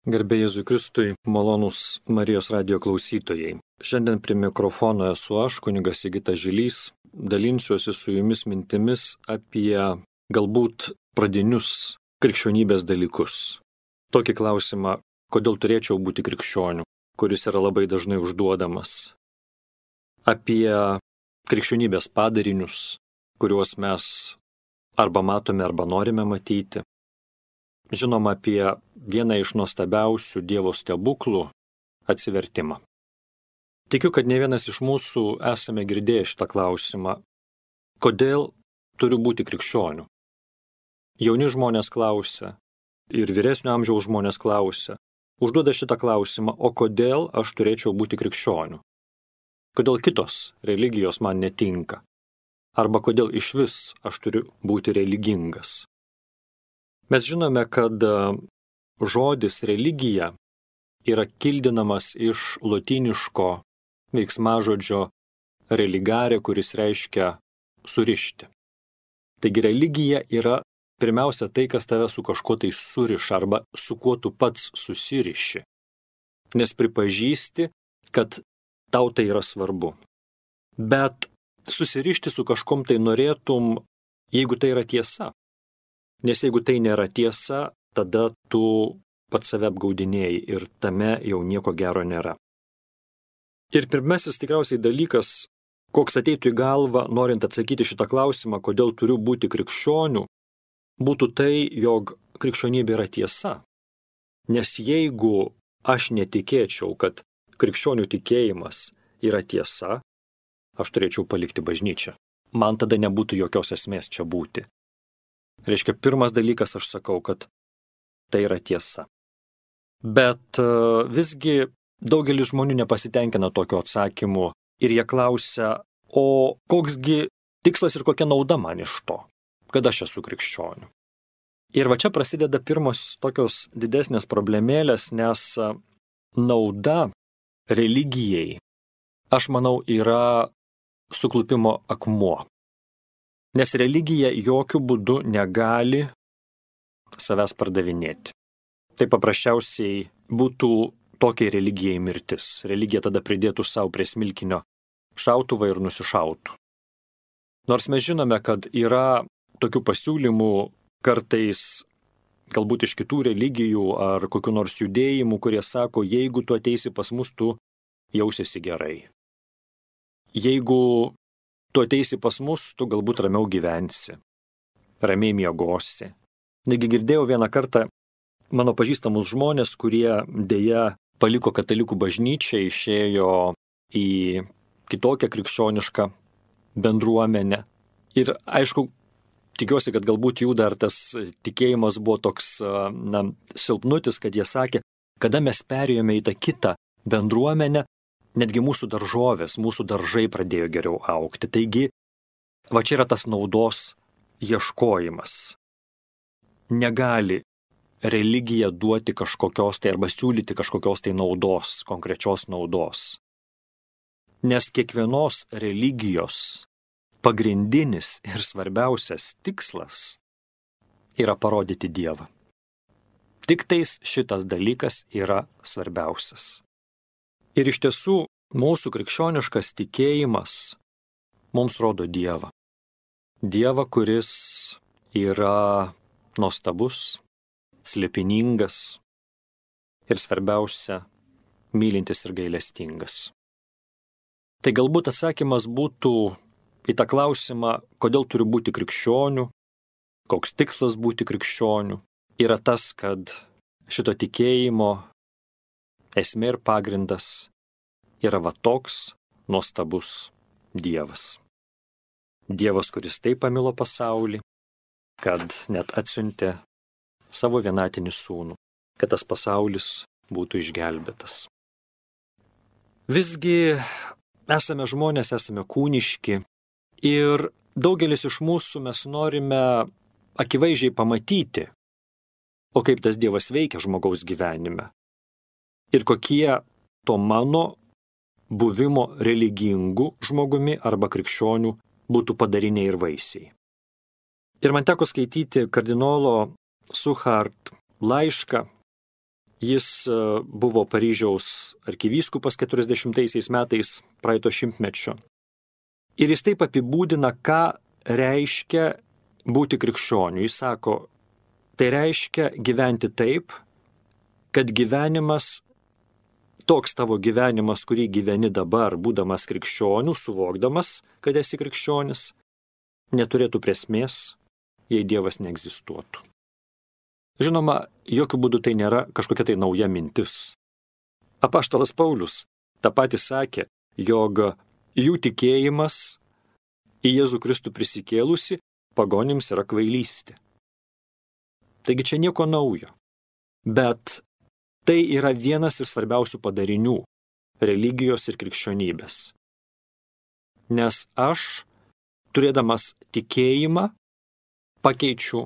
Garbė Jėzui Kristui, malonūs Marijos radijo klausytojai. Šiandien prie mikrofono esu aš, kunigas Sigitas Žilys, dalinsiuosi su jumis mintimis apie galbūt pradinius krikščionybės dalykus. Tokį klausimą, kodėl turėčiau būti krikščioniu, kuris yra labai dažnai užduodamas. Apie krikščionybės padarinius, kuriuos mes arba matome, arba norime matyti. Žinoma, apie vieną iš nuostabiausių Dievo stebuklų – atsivertimą. Tikiu, kad ne vienas iš mūsų esame girdėję šitą klausimą. Kodėl turiu būti krikščioniu? Jauni žmonės klausia ir vyresnio amžiaus žmonės klausia. Užduoda šitą klausimą, o kodėl aš turėčiau būti krikščioniu? Kodėl kitos religijos man netinka? Arba kodėl išvis aš turiu būti religingas? Mes žinome, kad žodis religija yra kildinamas iš lotyniško veiksmažodžio religare, kuris reiškia surišti. Taigi religija yra pirmiausia tai, kas tave su kažkuo tai suriša arba su kuo tu pats susiriši. Nes pripažįsti, kad tau tai yra svarbu. Bet susirišti su kažkom tai norėtum, jeigu tai yra tiesa. Nes jeigu tai nėra tiesa, tada tu pats save apgaudinėjai ir tame jau nieko gero nėra. Ir pirmasis tikriausiai dalykas, koks ateitų į galvą, norint atsakyti šitą klausimą, kodėl turiu būti krikščioniu, būtų tai, jog krikščionybė yra tiesa. Nes jeigu aš netikėčiau, kad krikščionių tikėjimas yra tiesa, aš turėčiau palikti bažnyčią. Man tada nebūtų jokios esmės čia būti. Reiškia, pirmas dalykas aš sakau, kad tai yra tiesa. Bet visgi daugelis žmonių nepasitenkina tokio atsakymu ir jie klausia, o koksgi tikslas ir kokia nauda man iš to, kad aš esu krikščioniu. Ir va čia prasideda pirmos tokios didesnės problemėlės, nes nauda religijai, aš manau, yra suklupimo akmuo. Nes religija jokių būdų negali savęs pardavinėti. Tai paprasčiausiai būtų tokiai religijai mirtis. Religija tada pridėtų savo prie smilkinio šautuvą ir nusišautų. Nors mes žinome, kad yra tokių pasiūlymų kartais galbūt iš kitų religijų ar kokių nors judėjimų, kurie sako, jeigu tu ateisi pas mus, tu jausiesi gerai. Jeigu tu ateisi pas mus, tu galbūt ramiau gyvensi, ramiai miegosi. Negi girdėjau vieną kartą mano pažįstamus žmonės, kurie dėja paliko katalikų bažnyčią, išėjo į kitokią krikščionišką bendruomenę. Ir aišku, tikiuosi, kad galbūt jų dar tas tikėjimas buvo toks silpnutis, kad jie sakė, kada mes perėjome į tą kitą bendruomenę, netgi mūsų daržovės, mūsų daržai pradėjo geriau augti. Taigi, va čia yra tas naudos ieškojimas. Negali religija duoti kažkokios tai arba siūlyti kažkokios tai naudos, konkrečios naudos. Nes kiekvienos religijos pagrindinis ir svarbiausias tikslas yra parodyti Dievą. Tik tais šitas dalykas yra svarbiausias. Ir iš tiesų, mūsų krikščioniškas tikėjimas mums rodo Dievą. Dievą, kuris yra nuostabus, slėpiningas ir svarbiausia, mylintis ir gailestingas. Tai galbūt atsakymas būtų į tą klausimą, kodėl turiu būti krikščioniu, koks tikslas būti krikščioniu, yra tas, kad šito tikėjimo esmė ir pagrindas yra va toks nuostabus Dievas. Dievas, kuris taip pamilo pasaulį, kad net atsiuntė savo vienatinį sūnų, kad tas pasaulis būtų išgelbėtas. Visgi esame žmonės, esame kūniški ir daugelis iš mūsų mes norime akivaizdžiai pamatyti, o kaip tas Dievas veikia žmogaus gyvenime. Ir kokie to mano buvimo religingų žmogumi arba krikščionių būtų padariniai ir vaisiai. Ir man teko skaityti kardinolo Suchard laišką, Jis buvo Paryžiaus arkivyskupas 40 metais praeito šimtmečio. Ir jis taip apibūdina, ką reiškia būti krikščioniu. Jis sako, tai reiškia gyventi taip, kad gyvenimas, toks tavo gyvenimas, kurį gyveni dabar, būdamas krikščioniu, suvokdamas, kad esi krikščionis, neturėtų prasmės, jei Dievas neegzistuotų. Žinoma, jokių būdų tai nėra kažkokia tai nauja mintis. Apaštalas Paulius tą patį sakė, jog jų tikėjimas į Jėzų Kristų prisikėlusi pagonims yra kvailystė. Taigi čia nieko naujo. Bet tai yra vienas iš svarbiausių padarinių religijos ir krikščionybės. Nes aš, turėdamas tikėjimą, pakeičiu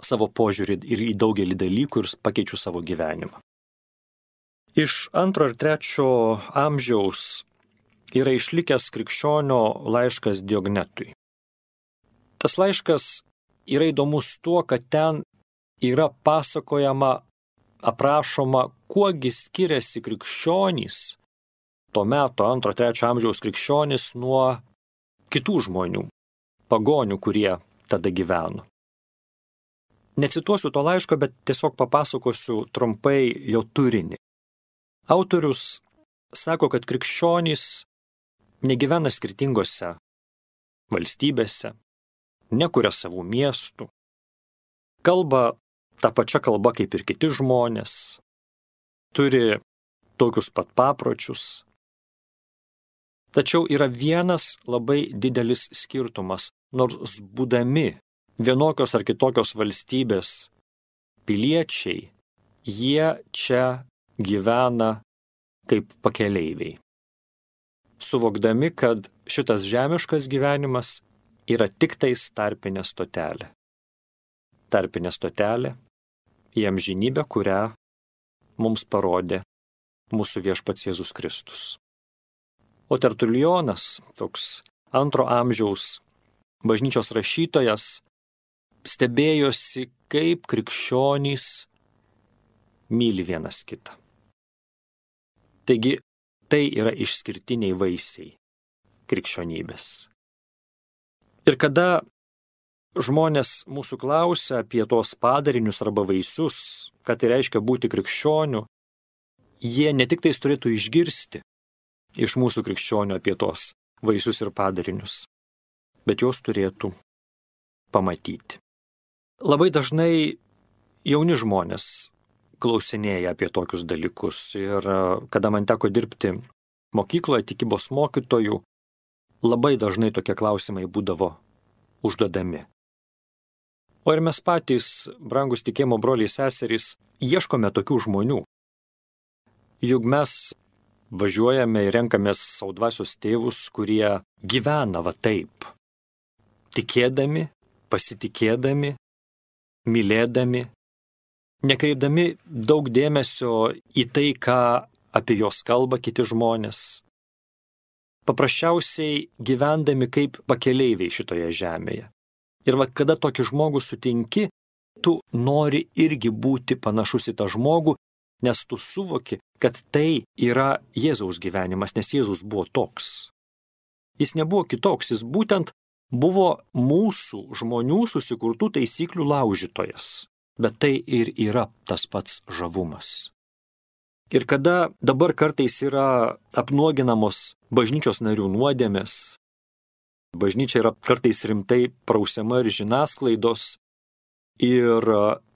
savo požiūrį ir į daugelį dalykų ir pakeičiu savo gyvenimą. Iš 2 ir 3 amžiaus yra išlikęs krikščionio laiškas Diognetui. Tas laiškas yra įdomus tuo, kad ten yra pasakojama, aprašoma, kuogi skiriasi krikščionys, to meto 2-3 amžiaus krikščionys nuo kitų žmonių, pagonių, kurie tada gyveno. Necituosiu to laiško, bet tiesiog papasakosiu trumpai jo turinį. Autorius sako, kad krikščionys negyvena skirtingose valstybėse, nekuria savų miestų, kalba tą pačią kalbą kaip ir kiti žmonės, turi tokius pat papročius. Tačiau yra vienas labai didelis skirtumas, nors būdami vienokios ar kitokios valstybės piliečiai, jie čia gyvena kaip pakeleiviai. Suvokdami, kad šitas žemiškas gyvenimas yra tik tais tarpinė stotelė. Tarpinė stotelė į amžinybę, kurią mums parodė mūsų viešpats Jėzus Kristus. O Tertulijonas, toks 2 amžiaus bažnyčios rašytojas, stebėjosi, kaip krikščionys myli vienas kitą. Taigi, tai yra išskirtiniai vaisiai krikščionybės. Ir kada žmonės mūsų klausia apie tos padarinius arba vaisius, ką tai reiškia būti krikščioniu, jie ne tik tais turėtų išgirsti iš mūsų krikščionių apie tos vaisius ir padarinius, bet juos turėtų pamatyti. Labai dažnai jauni žmonės klausinėja apie tokius dalykus ir kada man teko dirbti mokykloje tikybos mokytojų, labai dažnai tokie klausimai būdavo užduodami. O ir mes patys, brangus tikėjimo broliai seserys, ieškome tokių žmonių. Juk mes važiuojame ir renkamės savo dvasios tėvus, kurie gyvena va taip, tikėdami, pasitikėdami, mylėdami, nekreipdami daug dėmesio į tai, ką apie juos kalba kiti žmonės, paprasčiausiai gyvendami kaip pakeleiviai šitoje žemėje. Ir va, kada tokį žmogų sutinki, tu nori irgi būti panašus į tą žmogų, nes tu suvoki, kad tai yra Jėzaus gyvenimas, nes Jėzus buvo toks. Jis nebuvo kitoks, jis būtent buvo mūsų žmonių susikurtų taisyklių laužytojas. Bet tai ir yra tas pats žavumas. Ir kada dabar kartais yra apnuoginamos bažnyčios narių nuodėmės, bažnyčia yra kartais rimtai prausiama ir žiniasklaidos, ir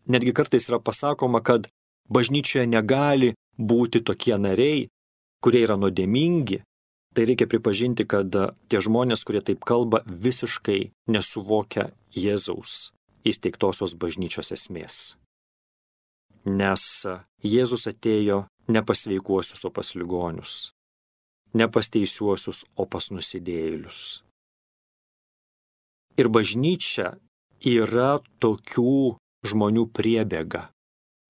netgi kartais yra pasakoma, kad bažnyčioje negali būti tokie nariai, kurie yra nuodėmingi, tai reikia pripažinti, kad tie žmonės, kurie taip kalba, visiškai nesuvokia Jėzaus įsteigtosios bažnyčios esmės. Nes Jėzus atėjo ne pas sveikuosius, o pas ligonius, ne pas teisiuosius, o pas nusidėjėlius. Ir bažnyčia yra tokių žmonių priebėga.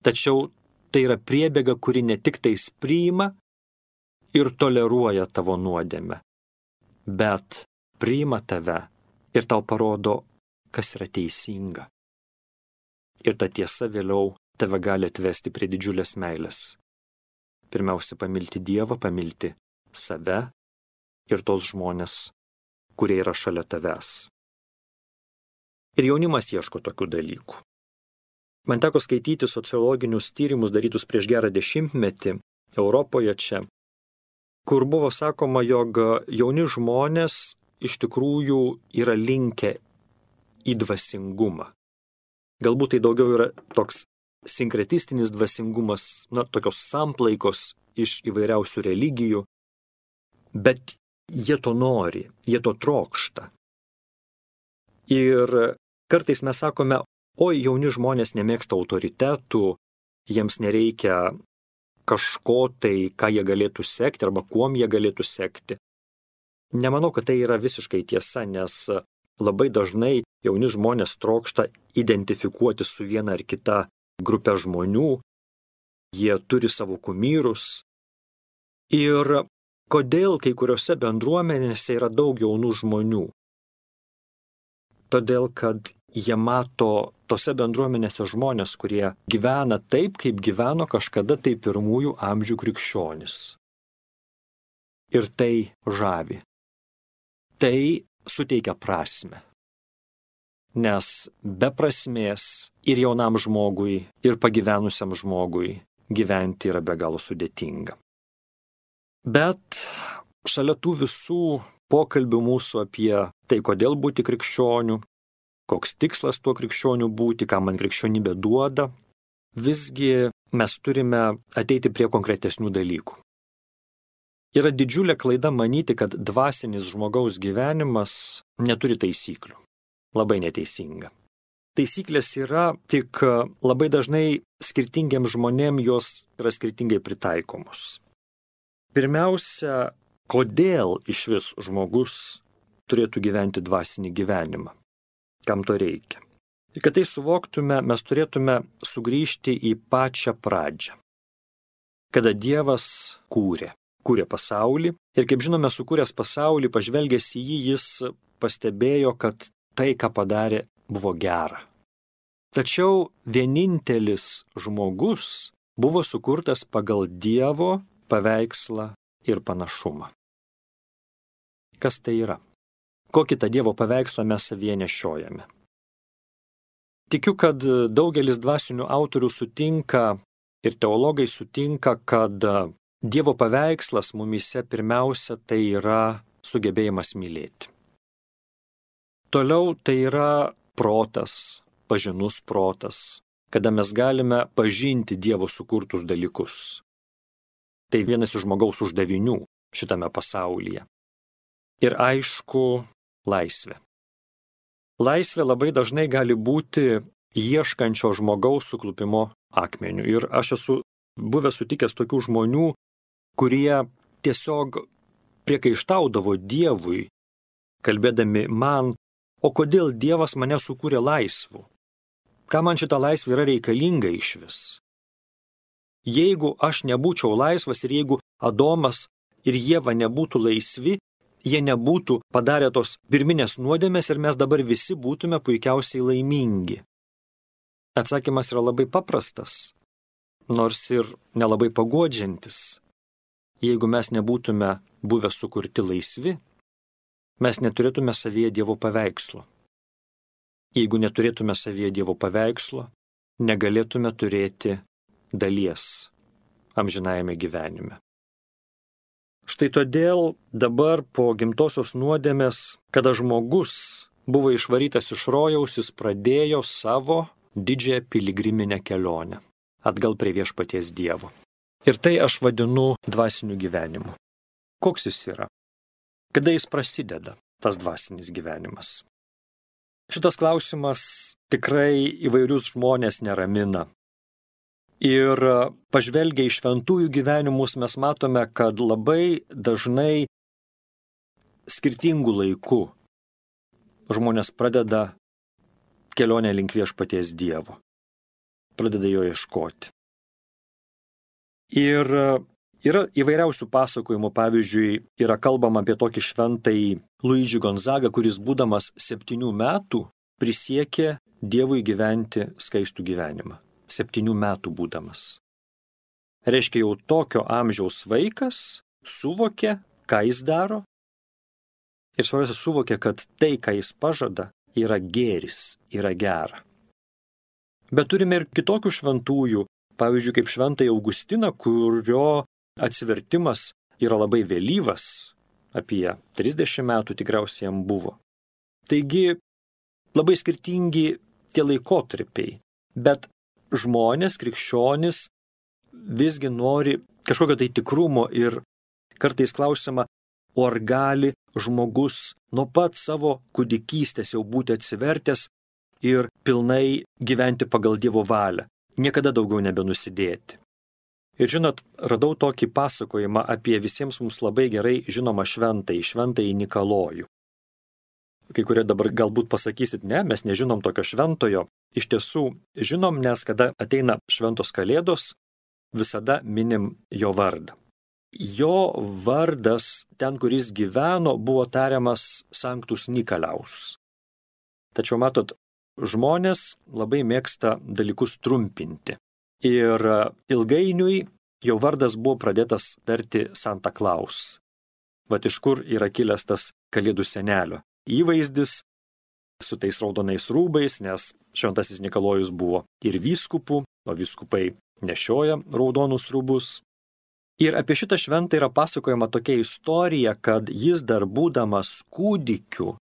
Tačiau tai yra priebėga, kuri ne tik tais priima ir toleruoja tavo nuodėmę, bet priima tave ir tau parodo, kas yra teisinga. Ir ta tiesa vėliau tave gali atvesti prie didžiulės meilės. Pirmiausia, pamilti Dievą, pamilti save ir tos žmonės, kurie yra šalia tavęs. Ir jaunimas ieško tokių dalykų. Man teko skaityti sociologinius tyrimus darytus prieš gerą 10-metį Europoje čia, kur buvo sakoma, jog jauni žmonės iš tikrųjų yra linkę į dvasingumą. Galbūt tai daugiau yra toks sinkretistinis dvasingumas, tokios samplaikos iš įvairiausių religijų, bet jie to nori, jie to trokšta. Ir kartais mes sakome, oi, jauni žmonės nemėgsta autoritetų, jiems nereikia kažko tai, ką jie galėtų sekti arba kuom jie galėtų sekti. Nemanau, kad tai yra visiškai tiesa, nes labai dažnai jauni žmonės trokšta identifikuoti su viena ar kita grupė žmonių, jie turi savo kumyrus. Ir kodėl kai kuriuose bendruomenėse yra daug jaunų žmonių? Todėl, kad jie mato tose bendruomenėse žmonės, kurie gyvena taip, kaip gyveno kažkada tai pirmųjų amžių krikščionys. Ir tai žavi. Tai suteikia prasmę. Nes be prasmės ir jaunam žmogui, ir pagyvenusiam žmogui gyventi yra be galo sudėtinga. Bet šalia tų visų pokalbių mūsų apie tai, kodėl būti krikščioniu, koks tikslas tuo krikščioniu būti, ką man krikščionybė duoda, visgi mes turime ateiti prie konkretesnių dalykų. Yra didžiulė klaida manyti, kad dvasinis žmogaus gyvenimas neturi taisyklių. Labai neteisinga. Taisyklės yra, tik labai dažnai skirtingiems žmonėms jos yra skirtingai pritaikomos. Pirmiausia, kodėl išvis žmogus turėtų gyventi dvasinį gyvenimą? Kam to reikia? Ir kad tai suvoktume, mes turėtume sugrįžti į pačią pradžią. Kada Dievas kūrė pasaulį ir, kaip žinome, sukūręs pasaulį, pažvelgęs į jį, jis pastebėjo, kad tai, ką padarė, buvo gera. Tačiau vienintelis žmogus buvo sukurtas pagal Dievo paveikslą ir panašumą. Kas tai yra? Kokį tą Dievo paveikslą mes savyje nešiojame? Tikiu, kad daugelis dvasinių autorių sutinka ir teologai sutinka, kad Dievo paveikslas mumyse pirmiausia tai yra sugebėjimas mylėti. Toliau tai yra protas, pažinus protas, kada mes galime pažinti Dievo sukurtus dalykus. Tai vienas iš žmogaus uždavinių šitame pasaulyje. Ir aišku, laisvė. Laisvė labai dažnai gali būti ieškančio žmogaus suklupimo akmeniu. Ir aš esu buvęs sutikęs tokių žmonių, kurie tiesiog priekaištaudavo Dievui, kalbėdami man, o kodėl Dievas mane sukūrė laisvu? Ką man šita laisvė yra reikalinga išvis? Jeigu aš nebūčiau laisvas ir jeigu Adomas ir Ieva nebūtų laisvi, jie nebūtų padarę tos pirminės nuodėmės ir mes dabar visi būtume puikiausiai laimingi. Atsakymas yra labai paprastas, nors ir nelabai paguodžiantis. Jeigu mes nebūtume buvę sukurti laisvi, mes neturėtume savyje Dievo paveikslo. Jeigu neturėtume savyje Dievo paveikslo, negalėtume turėti dalies amžinajame gyvenime. Štai todėl dabar po gimtosios nuodėmės, kada žmogus buvo išvarytas iš rojaus, jis pradėjo savo didžiąją piligriminę kelionę atgal prie viešpaties Dievo. Ir tai aš vadinu dvasiniu gyvenimu. Koks jis yra? Kada jis prasideda, tas dvasinis gyvenimas? Šitas klausimas tikrai įvairius žmonės neramina. Ir pažvelgę į šventųjų gyvenimus mes matome, kad labai dažnai skirtingų laikų žmonės pradeda kelionę link viešpaties Dievo. Pradeda jo ieškoti. Ir yra įvairiausių pasakojimų, pavyzdžiui, yra kalbama apie tokį šventąjį Luidžį Gonzagą, kuris būdamas 7 metų prisiekė Dievui gyventi skaistų gyvenimą. 7 metų būdamas. Reiškia, jau tokio amžiaus vaikas suvokė, ką jis daro. Ir svarbiausia, suvokė, kad tai, ką jis pažada, yra gėris, yra gera. Bet turime ir kitokių šventųjų, pavyzdžiui, kaip šventąjį Augustiną, kurio atsivertimas yra labai vėlyvas, apie 30 metų tikriausiai jam buvo. Taigi, labai skirtingi tie laikotarpiai, bet žmonės, krikščionys visgi nori kažkokio tai tikrumo ir kartais klausima, o ar gali žmogus nuo pat savo kūdikystės jau būti atsivertęs ir pilnai gyventi pagal Dievo valią, niekada daugiau nebenusidėti. Ir žinot, radau tokį pasakojimą apie visiems mums labai gerai žinomą šventąjį Nikolojų. Kai kurie dabar galbūt pasakysit, ne, mes nežinom tokio šventojo. Iš tiesų žinom, nes kada ateina šventos kalėdos, visada minim jo vardą. Jo vardas, ten, kur jis gyveno, buvo tariamas Sanctus Nikolaus. Tačiau matot, žmonės labai mėgsta dalykus trumpinti. Ir ilgainiui jo vardas buvo pradėtas tarti Santa Claus. Vat iš kur yra kilęs tas kalėdų senelio įvaizdis su tais raudonais rūbais, nes šventasis Nikolojus buvo ir vyskupų, o vyskupai nešioja raudonus rūbus. Ir apie šitą šventą yra pasakojama tokia istorija, kad jis dar būdamas kūdikiu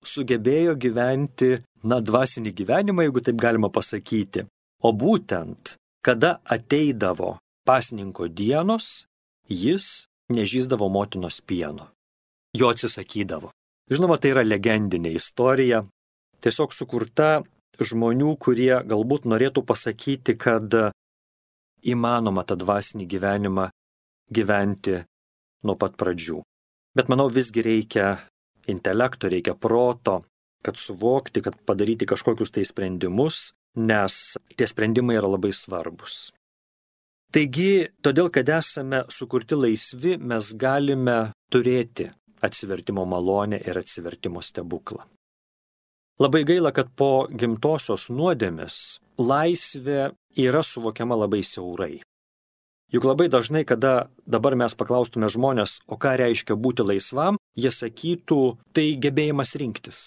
sugebėjo gyventi, dvasinį gyvenimą, jeigu taip galima pasakyti. O būtent, kada ateidavo pasninko dienos, jis nežįsdavo motinos pieno. Jo atsisakydavo. Žinoma, tai yra legendinė istorija, tiesiog sukurta žmonių, kurie galbūt norėtų pasakyti, kad įmanoma tą dvasinį gyvenimą gyventi nuo pat pradžių. Bet manau, visgi reikia intelekto, reikia proto, kad suvokti, kad padaryti kažkokius tai sprendimus, nes tie sprendimai yra labai svarbus. Taigi, todėl, kad esame sukurti laisvi, mes galime turėti atsivertimo malonę ir atsivertimo stebuklą. Labai gaila, kad po gimtosios nuodėmės laisvė yra suvokiama labai siaurai. Juk labai dažnai, kada dabar mes paklaustume žmonės, o ką reiškia būti laisvam, jie sakytų, tai gebėjimas rinktis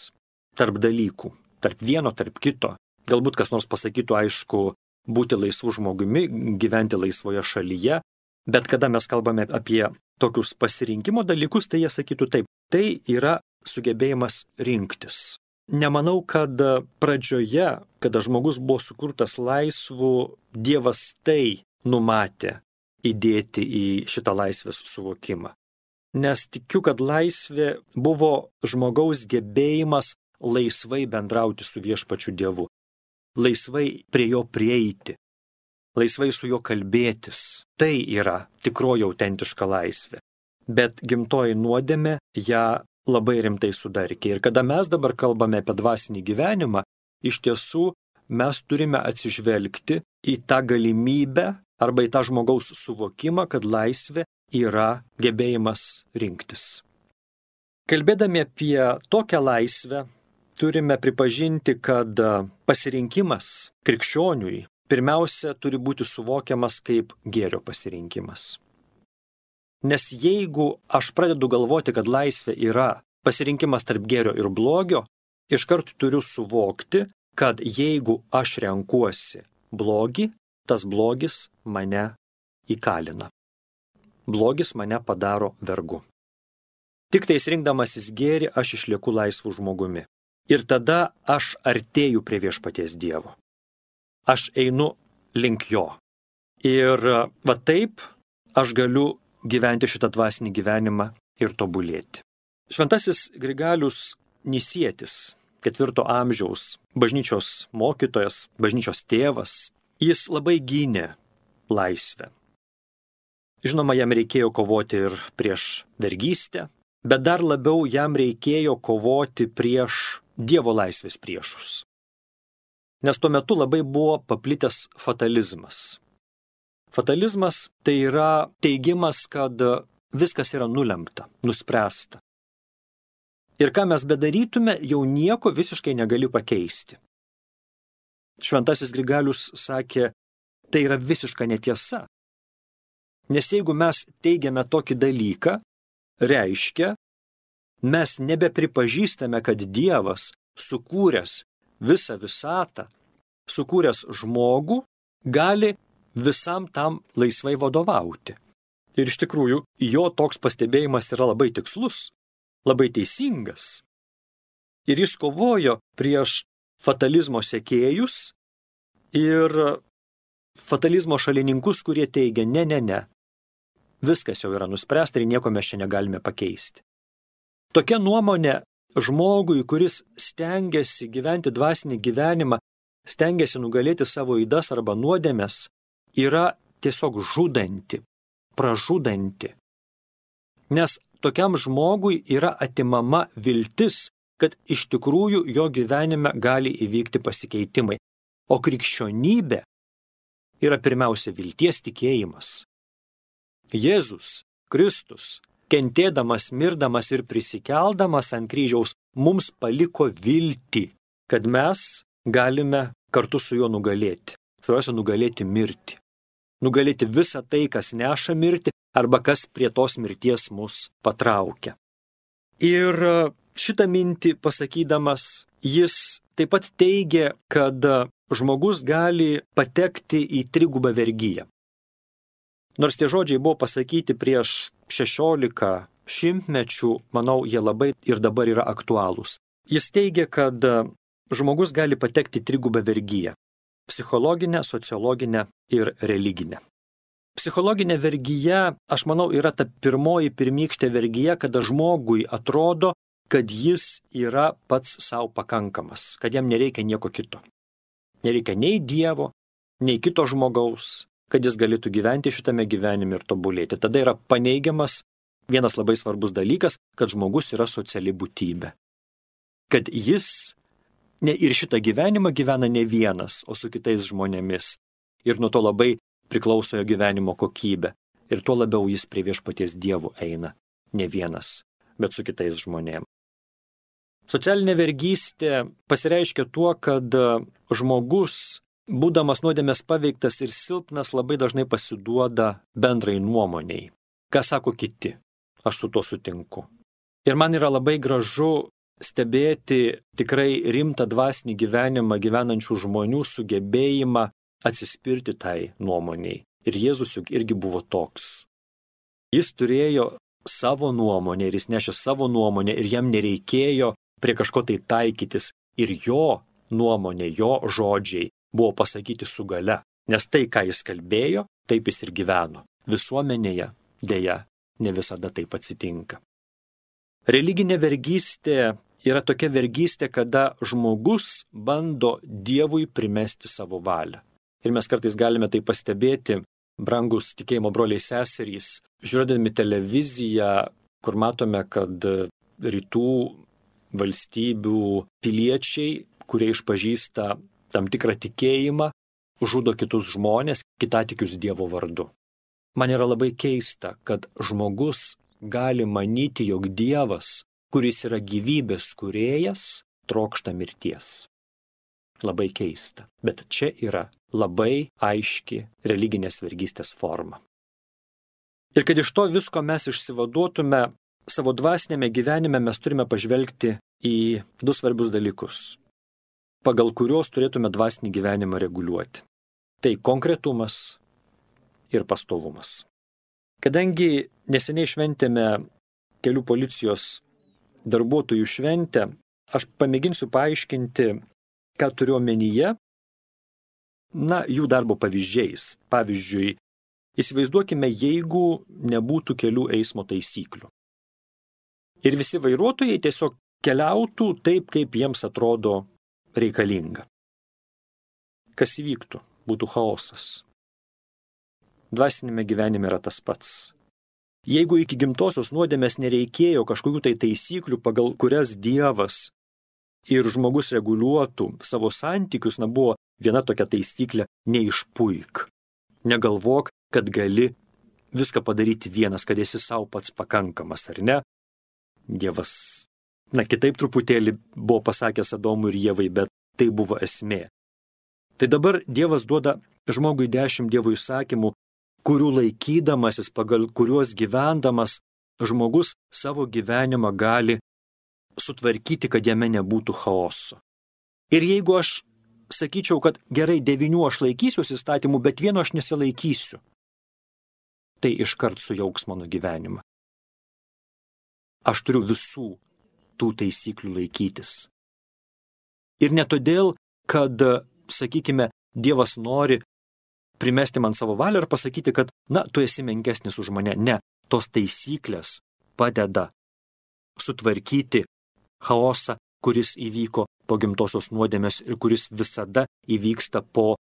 tarp dalykų, tarp vieno, tarp kito. Galbūt kas nors pasakytų, aišku, būti laisvu žmogumi, gyventi laisvoje šalyje, bet kada mes kalbame apie tokius pasirinkimo dalykus, tai jie sakytų taip, tai yra sugebėjimas rinktis. Nemanau, kad pradžioje, kada žmogus buvo sukurtas laisvu, Dievas tai numatė įdėti į šitą laisvės suvokimą. Nes tikiu, kad laisvė buvo žmogaus gebėjimas laisvai bendrauti su viešpačiu Dievu, laisvai prie jo prieiti, laisvai su juo kalbėtis. Tai yra tikroji autentiška laisvė. Bet gimtoji nuodėmė ją labai rimtai sudarkė. Ir kada mes dabar kalbame apie dvasinį gyvenimą, iš tiesų mes turime atsižvelgti į tą galimybę arba į tą žmogaus suvokimą, kad laisvė yra gebėjimas rinktis. Kalbėdami apie tokią laisvę, turime pripažinti, kad pasirinkimas krikščioniui pirmiausia turi būti suvokiamas kaip gėrio pasirinkimas. Nes jeigu aš pradedu galvoti, kad laisvė yra pasirinkimas tarp gėrio ir blogio, iškart turiu suvokti, kad jeigu aš renkuosi blogį, tas blogis mane įkalina. Blogis mane padaro vergu. Tik tais rinkdamasis gėrį aš išlieku laisvu žmogumi. Ir tada aš artėju prie viešpaties Dievo. Aš einu link jo. Ir va taip aš galiu gyventi šitą dvasinį gyvenimą ir tobulėti. Šventasis Grigalius Nisietis, 4 amžiaus bažnyčios mokytojas, bažnyčios tėvas, jis labai gynė laisvę. Žinoma, jam reikėjo kovoti ir prieš vergystę, bet dar labiau jam reikėjo kovoti prieš Dievo laisvės priešus. Nes tuo metu labai buvo paplitęs fatalizmas. Fatalizmas tai yra teigimas, kad viskas yra nulemta, nuspręsta. Ir ką mes bedarytume, jau nieko visiškai negali pakeisti. Šventasis Grigalius sakė, tai yra visiška netiesa. Nes jeigu mes teigiame tokį dalyką, reiškia, mes nebepripažįstame, kad Dievas, sukūręs visą visatą, sukūręs žmogų, gali visam tam laisvai vadovauti. Ir iš tikrųjų, jo toks pastebėjimas yra labai tikslus, labai teisingas. Ir jis kovojo prieš fatalizmo sekėjus ir fatalizmo šalininkus, kurie teigia, ne. Viskas jau yra nuspręsta ir nieko mes čia negalime pakeisti. Tokia nuomonė žmogui, kuris stengiasi gyventi dvasinį gyvenimą, stengiasi nugalėti savo ydas arba nuodėmes, yra tiesiog žudanti, pražudanti. Nes tokiam žmogui yra atimama viltis, kad iš tikrųjų jo gyvenime gali įvykti pasikeitimai. O krikščionybė yra pirmiausia vilties tikėjimas. Jėzus Kristus, kentėdamas, mirdamas ir prisikeldamas ant kryžiaus, mums paliko viltį, kad mes galime kartu su juo nugalėti. Svarbiausia, nugalėti mirtį. Nugalėti visą tai, kas neša mirtį arba kas prie tos mirties mus patraukia. Ir šitą mintį pasakydamas, jis taip pat teigia, kad žmogus gali patekti į trigubą vergiją. Nors tie žodžiai buvo pasakyti prieš 16 šimtmečių, manau, jie labai ir dabar yra aktualūs. Jis teigia, kad žmogus gali patekti į trigubą vergiją – psichologinę, sociologinę ir religinę. Psichologinė vergija, aš manau, yra ta pirmykštė vergija, kada žmogui atrodo, kad jis yra pats savo pakankamas, kad jam nereikia nieko kito. Nereikia nei Dievo, nei kito žmogaus, kad jis galėtų gyventi šitame gyvenime ir tobulėti. Tada yra paneigiamas vienas labai svarbus dalykas, kad žmogus yra sociali būtybė. Kad jis ir šitą gyvenimą gyvena ne vienas, o su kitais žmonėmis. Ir nuo to labai priklauso jo gyvenimo kokybė. Ir tuo labiau jis prie viešpaties Dievo eina. Ne vienas, bet su kitais žmonėmis. Socialinė vergystė pasireiškia tuo, kad žmogus, būdamas nuodėmės paveiktas ir silpnas, labai dažnai pasiduoda bendrai nuomoniai. Ką sako kiti? Aš su to sutinku. Ir man yra labai gražu stebėti tikrai rimtą dvasinį gyvenimą gyvenančių žmonių sugebėjimą atsispirti tai nuomoniai. Ir Jėzus juk irgi buvo toks. Jis turėjo savo nuomonę ir jis nešė savo nuomonę ir jam nereikėjo prie kažko tai taikytis. Ir jo nuomonė, jo žodžiai buvo pasakyti su gale. Nes tai, ką jis kalbėjo, taip jis ir gyveno. Visuomenėje, deja, ne visada taip atsitinka. Religinė vergystė yra tokia vergystė, kada žmogus bando Dievui primesti savo valią. Ir mes kartais galime tai pastebėti, brangus tikėjimo broliai seserys, žiūrėdami televiziją, kur matome, kad rytų valstybių piliečiai, kurie išpažįsta tam tikrą tikėjimą, žudo kitus žmonės, kitatikius Dievo vardu. Man yra labai keista, kad žmogus gali manyti, jog Dievas, kuris yra gyvybės kūrėjas, trokšta mirties. Labai keista, bet čia yra labai aiški religinės vergystės forma. Ir kad iš to visko mes išsivaduotume, savo dvasinėme gyvenime mes turime pažvelgti į du svarbius dalykus, pagal kuriuos turėtume dvasinį gyvenimą reguliuoti. Tai konkretumas ir pastovumas. Kadangi neseniai šventėme kelių policijos darbuotojų šventę, aš pamėginsiu paaiškinti, ką turiu omenyje, jų darbo pavyzdžiais. Pavyzdžiui, įsivaizduokime, jeigu nebūtų kelių eismo taisyklių. Ir visi vairuotojai tiesiog keliautų taip, kaip jiems atrodo reikalinga. Kas įvyktų? Būtų chaosas. Dvasinėme gyvenime yra tas pats. Jeigu iki gimtosios nuodėmės nereikėjo kažkokių tai taisyklių, pagal kurias Dievas ir žmogus reguliuotų savo santykius, buvo viena tokia taisyklė – neišpuik. Negalvok, kad gali viską padaryti vienas, kad esi savo pats pakankamas, ar ne? Dievas, kitaip truputėlį buvo pasakęs Adomui ir Ievai, bet tai buvo esmė. Tai dabar Dievas duoda žmogui 10 Dievo įsakymų, kurių laikydamasis, pagal kuriuos gyvendamas, žmogus savo gyvenimą gali sutvarkyti, kad jame nebūtų chaoso. Ir jeigu aš sakyčiau, kad gerai 9 aš laikysiuosi įstatymų, bet 1 aš nesilaikysiu, tai iškart sujauks mano gyvenimą. Aš turiu visų tų taisyklių laikytis. Ir ne todėl, kad, sakykime, Dievas nori primesti man savo valią ir pasakyti, kad, tu esi menkesnis už mane. Ne, tos taisyklės padeda sutvarkyti chaosą, kuris įvyko po gimtosios nuodėmės ir kuris visada įvyksta po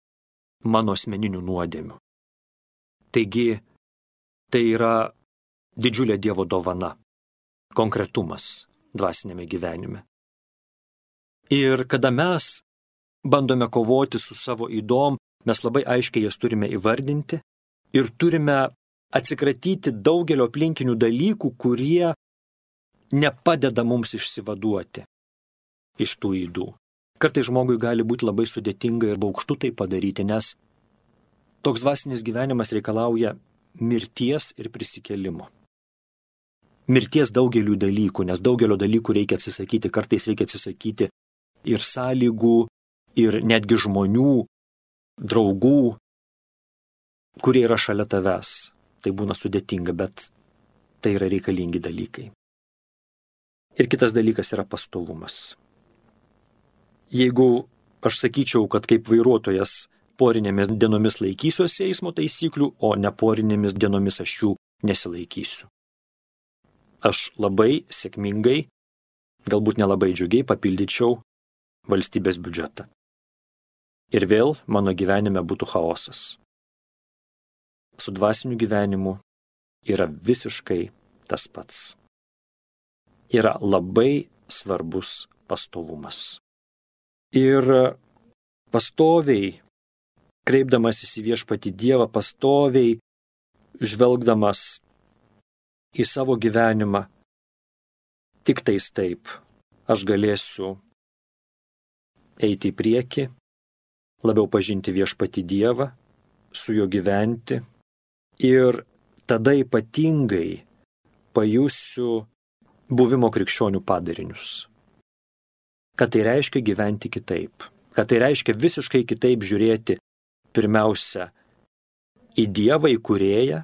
mano asmeninių nuodėmių. Taigi, tai yra didžiulė Dievo dovana, konkretumas dvasinėme gyvenime. Ir kada mes bandome kovoti su savo ydom, mes labai aiškiai jas turime įvardinti ir turime atsikratyti daugelio aplinkinių dalykų, kurie nepadeda mums išsivaduoti iš tų ydų. Kartais žmogui gali būti labai sudėtinga ir baugštu tai padaryti, nes toks dvasinis gyvenimas reikalauja mirties ir prisikėlimo. Mirties daugelių dalykų, nes daugelio dalykų reikia atsisakyti, kartais reikia atsisakyti ir sąlygų, ir netgi žmonių, draugų, kurie yra šalia tavęs. Tai būna sudėtinga, bet tai yra reikalingi dalykai. Ir kitas dalykas yra pastovumas. Jeigu aš sakyčiau, kad kaip vairuotojas porinėmis dienomis laikysiuosi eismo taisyklių, o neporinėmis dienomis aš jų nesilaikysiu. Aš labai sėkmingai, galbūt nelabai džiugiai papildyčiau valstybės biudžetą. Ir vėl mano gyvenime būtų chaosas. Su dvasiniu gyvenimu yra visiškai tas pats. Yra labai svarbus pastovumas. Ir pastoviai, kreipdamasis į viešpatį Dievą, pastoviai žvelgdamas į savo gyvenimą, tik tais taip aš galėsiu eiti į priekį, labiau pažinti viešpatį Dievą, su juo gyventi ir tada ypatingai pajusiu buvimo krikščionių padarinius. Kad tai reiškia gyventi kitaip, kad tai reiškia visiškai kitaip žiūrėti pirmiausia į Dievą, į Kūrėją,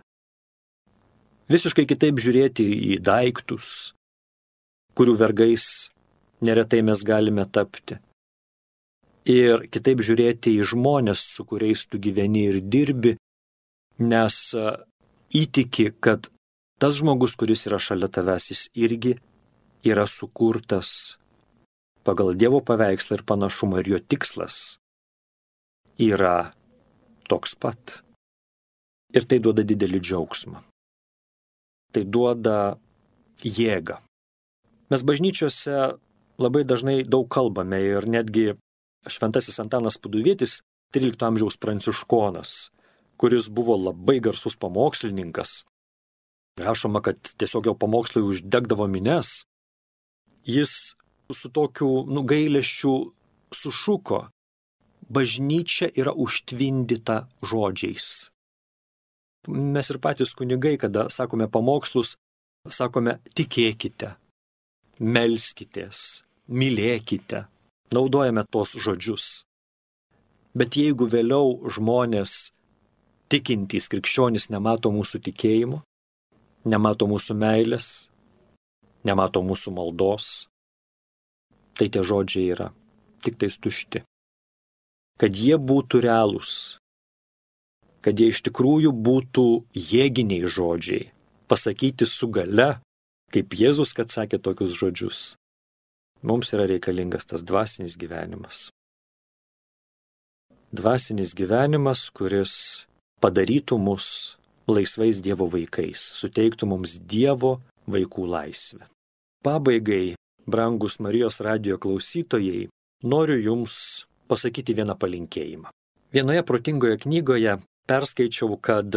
visiškai kitaip žiūrėti į daiktus, kurių vergais neretai mes galime tapti. Ir kitaip žiūrėti į žmonės, su kuriais tu gyveni ir dirbi, nes įtiki, kad tas žmogus, kuris yra šalia tavęs, jis irgi yra sukurtas pagal Dievo paveikslą ir panašumą, ir jo tikslas yra toks pat. Ir tai duoda didelį džiaugsmą. Tai duoda jėgą. Mes bažnyčiose labai dažnai daug kalbame ir netgi Šventasis Antanas Paduvietis, 13 amžiaus pranciškonas, kuris buvo labai garsus pamokslininkas. Rašoma, kad tiesiog jo pamokslai uždegdavo minias. Jis su tokiu gailesčiu sušuko: bažnyčia yra užtvindyta žodžiais. Mes ir patys kunigai, kada sakome pamokslus, sakome tikėkite, melskitės, mylėkite. Naudojame tos žodžius. Bet jeigu vėliau žmonės tikintys krikščionys nemato mūsų tikėjimo, nemato mūsų meilės, nemato mūsų maldos, tai tie žodžiai yra tik tais tušti. Kad jie būtų realūs, kad jie iš tikrųjų būtų jėginiai žodžiai, pasakyti su gale, kaip Jėzus, kad sakė tokius žodžius. Mums yra reikalingas tas dvasinis gyvenimas. Dvasinis gyvenimas, kuris padarytų mus laisvais Dievo vaikais, suteiktų mums Dievo vaikų laisvę. Pabaigai, brangus Marijos radijo klausytojai, noriu jums pasakyti vieną palinkėjimą. Vienoje protingoje knygoje perskaičiau, kad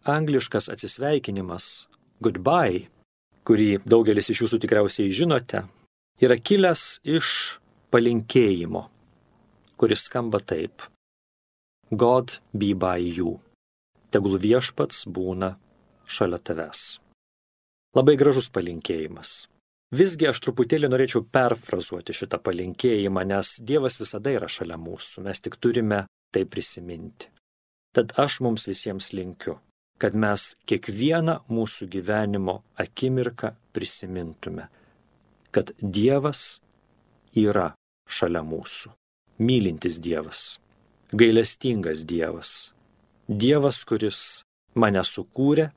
angliškas atsisveikinimas goodbye, kurį daugelis iš jūsų tikriausiai žinote, yra kilęs iš palinkėjimo, kuris skamba taip: God be by you. Tegul viešpats būna šalia tavęs. Labai gražus palinkėjimas. Visgi aš truputėlį norėčiau perfrazuoti šitą palinkėjimą, nes Dievas visada yra šalia mūsų, mes tik turime tai prisiminti. Tad aš mums visiems linkiu, kad mes kiekvieną mūsų gyvenimo akimirką prisimintume, kad Dievas yra šalia mūsų. Mylintis Dievas, gailestingas Dievas, Dievas, kuris mane sukūrė,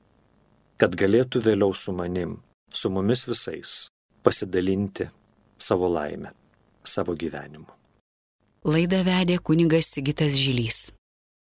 kad galėtų vėliau su manim, su mumis visais, pasidalinti savo laimę, savo gyvenimu. Laidą vedė kunigas Sigitas Žilys.